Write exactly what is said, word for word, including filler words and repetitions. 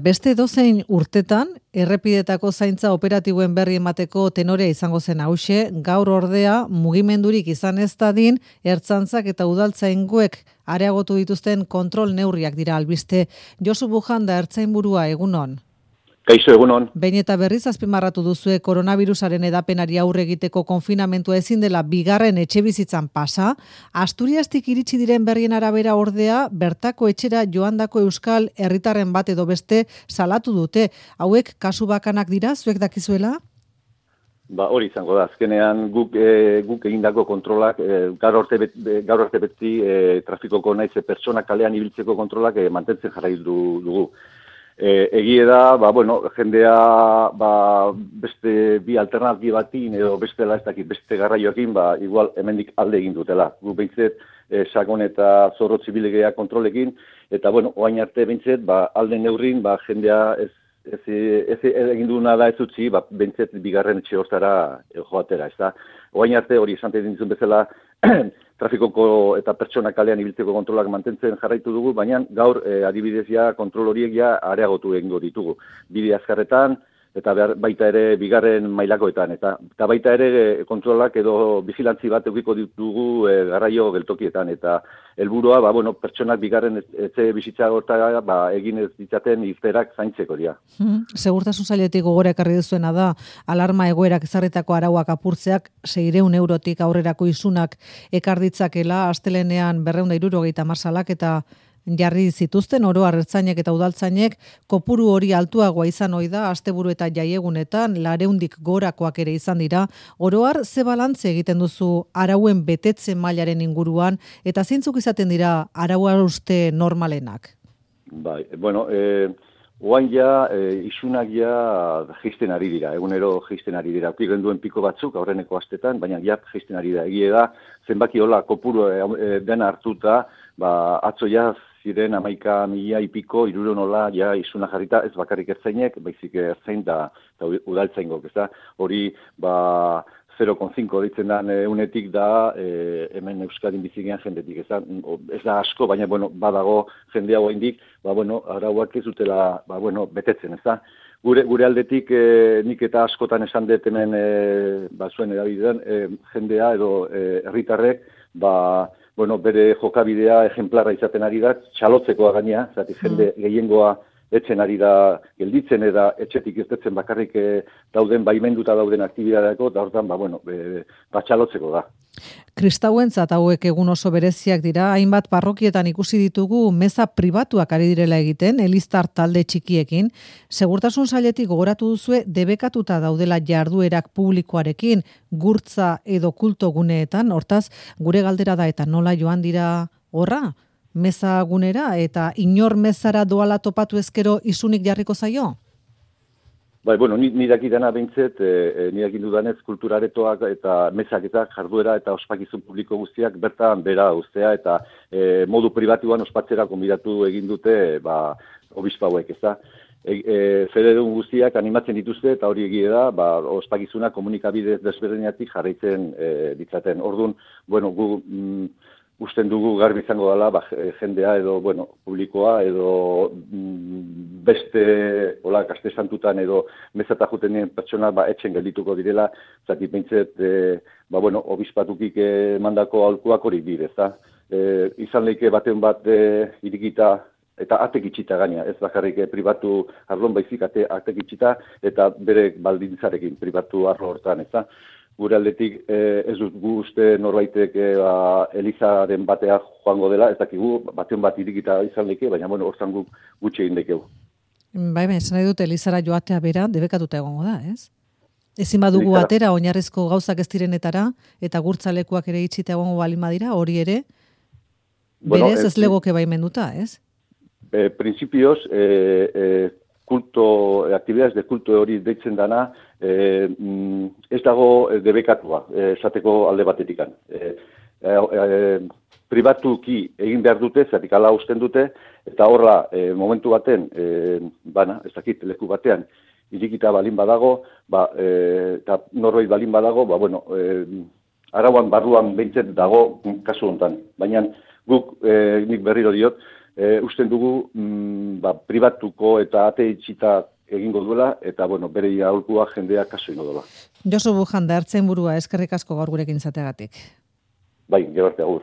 Beste dozein urtetan, errepidetako zaintza operatiboen berri emateko tenorea izango zen hauxe, gaur ordea mugimendurik izan ez dadin, ertzantzak eta udaltzaingoek areagotu dituzten kontrol neurriak dira albiste. Josu Bujanda, ertzainburua, egunon. Kaixo, egunon. Behin eta berriz azpimarratu duzue koronavirusaren edapenari aurre egiteko konfinamentua ezin dela bigarren etxebizitzan pasa, Asturiastik iritsi diren berrien arabera ordea, bertako etxera joandako euskal herritarren bat edo beste salatu dute. Hauek kasu bakanak dira, zuek dakizuela? Ba, hori izango da. Azkenean guk e, guk egindako kontrolak e, gaur arte bet, gaur arte beti e, trafikoko naiz pertsona kalean ibiltzeko kontrolak e, mantentzen jarraitu dugu. E, egie da, ba, bueno, jendea ba, beste bi alternatibatin edo bestela ez dakit beste garraioekin, ba, igual hemendik alde egin dutela. Gu behintzet, e, sakon eta zorro zibilegea kontrolekin, eta bueno, oain arte behintzet, ba, alde neurrin, ba, jendea ez, ez, ez, ez egin duena da ez utzi, ba, behintzet bigarren etxe hortara e, joatera, ez da. Oain arte hori esan dizun bezala, trafikoko eta pertsona kalean ibiltzeko kontrolak mantentzen jarraitu dugu, baina gaur e, adibidez ja kontrol horiek ja areagotu egingo ditugu. Bide azkarretan eta behar, baita ere bigarren mailakoetan. Eta, eta baita ere e, kontrolak edo vigilantzi bat edukiko ditugu e, garraio geltokietan. Eta helburua, ba, bueno, pertsonak bigarren etxe bizitza hortara ba, egin ez ditzaten irterak zaintzeko dira. Hmm. Segurtasun sailetik gogora ekarri duzuena da, alarma egoerak ezarritako arauak apurtzeak seiehun eurotik aurrerako isunak ekar ditzakela, astelenean berrehun eta hirurogeita hamar salaketa jarri zituzten oro har ertzainek eta udaltzainek, kopuru hori altuagoa izan ohi da asteburu eta jaiegunetan lareundik gorakoak ere izan dira. Oro har ze balantze egiten duzu arauen betetze mailaren inguruan eta zeintzuk izaten dira araua uste normalenak? Bai, bueno, eh oain ja, e, isunak ja jeisten ari dira, egunero jeisten ari dira. Aurki genduen piko batzuk aurreneko astetan, baina ja jeisten ari da. Egie da, zenbaki hola kopuru e, dena hartuta, ba, atzo ja ziren amaika mila ipiko, iruro nola ja isuna jarrita, ez bakarrik ertzainek, baizik ertzain da, da udaltzaingok, ez da. Hori, ba, zero koma cinco ditzen da unetik da e, hemen Euskadin bizigean jendetik. Ez da, ez da asko, baina bueno, badago jende hau indik, ba, bueno, arauak ez dutela ba, bueno, betetzen, ez da. Gure, gure aldetik e, nik eta askotan esan dut hemen e, ba, zuen erabidean, e, jendea edo herritarrek ba, bueno, bere jokabidea ejemplarra izaten ari da, txalotzekoa gaina, zati jende gehiengoa etxen ari da gelditzen eta etxetik irtetzen bakarrik e, dauden baimenduta dauden aktibitateko, da hortan, ba, bueno, e, batxalotzeko da. Kristauentzat hauek egun oso bereziak dira, hainbat parrokietan ikusi ditugu meza pribatuak ari direla egiten, eliztar talde txikiekin. Segurtasun sailetik gogoratu duzue debekatuta daudela jarduerak publikoarekin, gurtza edo kulto guneetan, hortaz, gure galdera da eta nola joan dira horra? Meza gunera eta inor mezara doala topatu ezkero isunik jarriko zaio? Bai, bueno, ni, ni dakidana behintzet, e, ni dakindudanez kulturaretoak eta mezaketak jarduera eta ospakizun publiko guztiak bertan bera ustea eta e, modu pribatuan ospatzera konbidatu egin dute ba, obispauek, ez da. E, e, fededun guztiak animatzen dituzte eta hori egie da, ba, ospakizuna komunikabide desberdinatik jarraitzen e, ditzaten. Orduan, bueno, gu... Mm, usten dugu garbi izango dela, ba, jendea edo, bueno, publikoa edo mm, beste, hola, kaste santutan edo mezata juten pertsona, ba, etxen geldituko direla, zati pentzet, e, ba, bueno, obispatukik mandako aholkuak hori dire, ezta? E, izan leike baten bat e, irikita eta atek itxita gaina, ez bakarrik e, pribatu arlon baizik ate, atek itxita eta bere baldintzarekin pribatu arlo hortan, ezta? Gure aldetik eh, ez dut gu uste norbaitek eh, ba, Elizaren batea joango dela, ez dakigu, batean bat irikita izan leke, baina bueno, hortzan guk gutxi egin dekeu. Bai, bai, esan nahi dut Elizara joatea bera debekatuta egongo da, ez? Ezin badugu Elizara. atera oinarrizko gauzak ez direnetara eta gurtzalekuak ere itxita egongo balin badira, hori ere Bueno, berez ez eh, legoke baimenduta, ez? Eh, principios, eh, eh, kulto, eh, actividades de kulto hori deitzen dana, eh, mm, ez dago eh, debekatua, eh, esateko alde batetikan. Eh, eh, eh, pribatuki egin behar dute, zatik ala usten dute, eta horra eh, momentu baten, eh, bana, ez dakit, leku batean, irikita balin badago, ba, eh, eta norbait balin badago, ba, bueno, eh, arauan barruan behintzen dago kasu honetan. Baina guk, eh, nik berriro diot, e, usten dugu mm, ba, pribatuko eta ate itxita egingo duela, eta bueno, bere aholkua jendea kaso ingo duela. Josu Bujanda, Ertzainburua, eskerrik asko gaur gurekin izateagatik. Bai, gero arte agur.